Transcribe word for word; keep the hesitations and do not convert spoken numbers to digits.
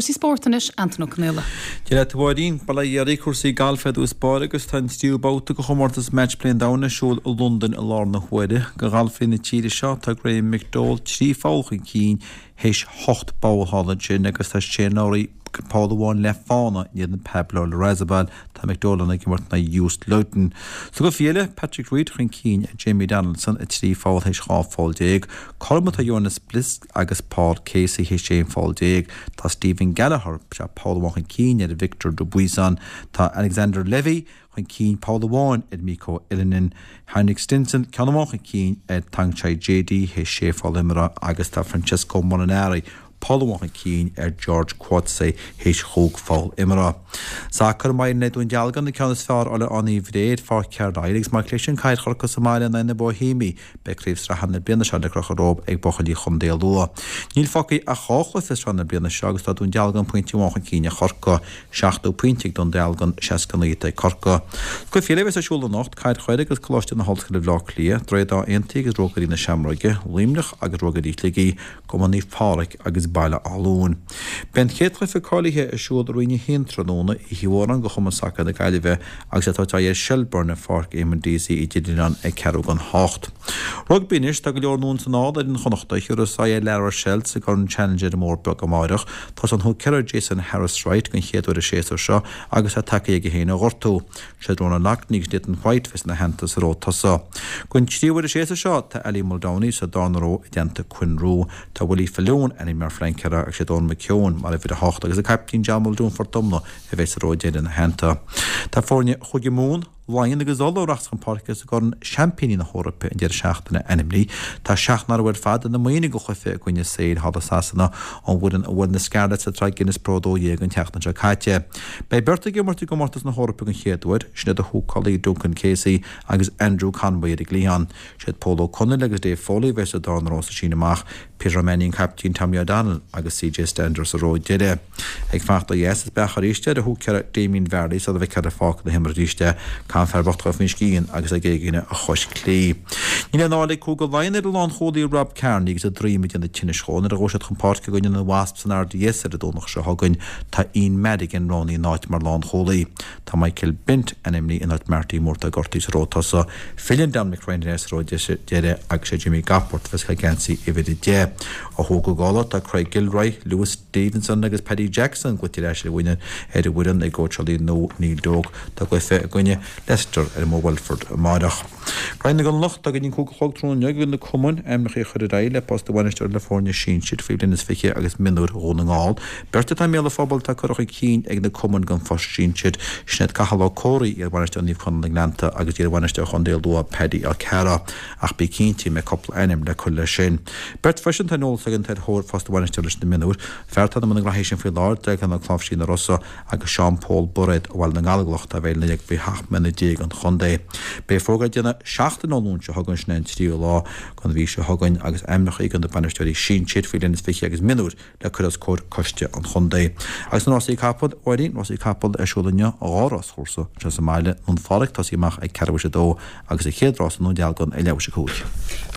Cúrsaí spóirt anois, Antain Ó Conaola. Dia leat a Mháirín, bail ó Dhia oraibh, cúrsaí gailf ar dtús báire agus tá an tríú babhta de chomórtas Matchplay an Domhain ar siúl i Londain i láthair na huaire. Do ghalfairí na tíre seo tá Graham McDowell trí pholl chun cinn théis hocht bpoll thall ansin agus tá Shane Lowry poll amháin le fána in éadan Pablo Larrazabal. Tá McDowell ag imirt in aghaidh Joost Luiten. Sa gcluiche eile, Patrick Reed chun cinn ar Jamie Donaldson, a trí pholl théis dhá pholl déag. Cothrom atá Johannes Blisk agus Paul Casey théis aon pholl déag. Tá Stephen Gallacher sé poll amháin chun cinn ar Victor Dubuisson. Tá Alexander Levy chun cinn poll amháin ar Mikko Ilonen. Henrik Stenson ceann amháin chun cinn ar Thongchai Jaidee théis sé pholl imeartha agus tá Francesco Molinari poll amháin chun cinn ar George Coetzee théis chúig pholl imeartha. Sacar maidin le Dún Dealgan an ceann is fearr le Áth Naomh Bhré ar Pháirc Carlisle agus má chliseann Cathair Chorcaí sa mbaile in aghaidh na Boihéimí beidh craobh sraithe na bliana seo le crochadh rompu ag buachaillí Chontae Lú. Níl fágtha ach dhá chluiche sraith na bliana seo agus tá Dún Dealgan pointe amháin chun cinn ar Chorcaigh, seachtó pointe ag Dún Dealgan, seasca naoi ag Corcaigh. Cluichí eile a bheas ar siúl anocht, Cathair Choire agus Coláiste na hOllscoile Bhaile Átha Cliath, Droichead Átha Aontaithe agus Rógairí na Seamróige, Luimneach agus Rógairí Shligigh, Cumann Naomh Pádraig agus Baile Átha Luain. Beidh an chéad chluiche cáilithe ar siúl i Roinn a haon tráthnóna, Oíche Mhóráin do Chumann Sacair na Gaillimhe agus é ag tabhairt aghaidh ar Shelbourne i Pháirc Éamonn Deasy i dTír Oileáin ag ceathrú don hocht. Rugbaí anois, tá go leor nua ins an ál ar fhoireann Chonnachta a thiúrfas aghaidh ar La Rochelle sa gCorn Challenge ar an mBóthar Beag amáireach. Tá an húicéara Jason Harris-Wright den chéad uair an séasúr seo agus tá tacaithe aige féin ó ghortú. Siad Ronan Loughnane agus Nathan White bheas ina theannta sa ró tosaigh. Den tríú huair an séasúr seo tá Ali Muldowney sa darna ró i dteannta Quinn Roux. Tá Willie Faloon ainmnithe mar phleancéara agus sé Eoin McKeown mar uimhir a hocht agus an caiptín John Muldoon Phort Omna a bheidh sa ró deiridh ina theannta. Tá foirne Chúige Mumhan, Laighean agus Uladh a rachas chun páirce sa gCorn Seaimpíní na hEorpa an deireadh seachtaine ainmnithe. Tá seacht n-athrú ar fad ina maoine do chluiche i gcoinne Sale thall i Sasana, an bhfoireann a bhuail na Scarlets sa tsraith Guinness Pro dó dhéag an tseachtain seo caite. Beidh beirt ag imirt i gcomórtas na hEorpa den chéad uair, sin iad na húcálaí Duncan Casey agus Andrew Conway ar an gcliathán. Siad Pól Ó Conaill agus Dave Foley a bheas sa darna ró sa síneadh amach, Peter Mannion, caiptín Tommy O'Donnell agus CJ Stander sa ró deiridh. Ag fanacht ó dheas is beach arís ar an húicéara Damien Varley sula bhfeicfear ar pháirc na himeartha arís é. Caithfidh fear bocht a dhul faoin scian agus ag éigean a chois clí. Níl aon fháil ag Cúige Laighean ar a lánchúlaí Rob Kearney agus a droim ag déanamh tinnis dhó nuair a ghabhfaidh siad chun páirce i gcoinne na Wasps san RDS ar an Domhnach seo chugainn. Tá Ian Madigan roghnaithe ina áit mar lánchúlaí. Tá Michael Bent ainmnithe in áit Marty Moore atá gortaithe sa ró tosaigh. Filleann Dominic Ryan sa ró deiridh agus sé Jimmy Gopperth a bheas ag geansaí uimhir a deich. Ó thuaidh go Uladh tá Craig Gilroy, Lewis Stevenson agus Paddy Jackson glaoite ar ais ar an bhfoireann ag cóitseálaí nua Neil Doak. Tá a gcluiche i gcoinne Leicester ar an mBóthar Welford amárach. Roinn na gConallach, tá go dtí an cúig a chlog tráthnóna inniu ag na cumainn ainmneacha a chur ar aghaidh le post a bhainisteora le foirne sinsir faoi bhliain is fiche agus mionúir Dhún na nGall. Beirt atá i mbéal an phobail atá curtha chun cinn ag na cumainn don phost sinsir, sin iad Cathal Ó Comhraí, iarbhainisteoir Naomh Conaill na nGleannta agus iarbhainisteoir Chontae Lú Paddy Ó Cearra. Ach bí cinnte go mbeidh cúpla ainm le cur leis sin. Beirt freisin atá ar eolas againn atá ar thóir phost a bhainisteora leis na mionúir, fear atá i mbun na ngraithí sin faoi láthair, Declan Ó Cláimhsí na Rosa agus Seán Pól Bairéad ó Bhaile na nGallóglach atá a bheidh ina faoi sheacht mbliana déag an chontae. Beidh fógra le déanamh seachtain ón Luan seo chugainn, sin é an tríú lá den mhí seo chugainn, agus ainmneacha do na bainisteoirí sinsir faoi bhliain is fiche agus mionúir le cur os comhair coiste an chontae. Agus na rásaí capall, a Mháirín, rásaí capall ar siúl inniu, dhá ráschúrsa anseo sa mbaile, nDún Phádraig tosaí amach ag ceathrú théis a dó agus an chéad rás i nDún Dealgan ag leathuair théis a cúig.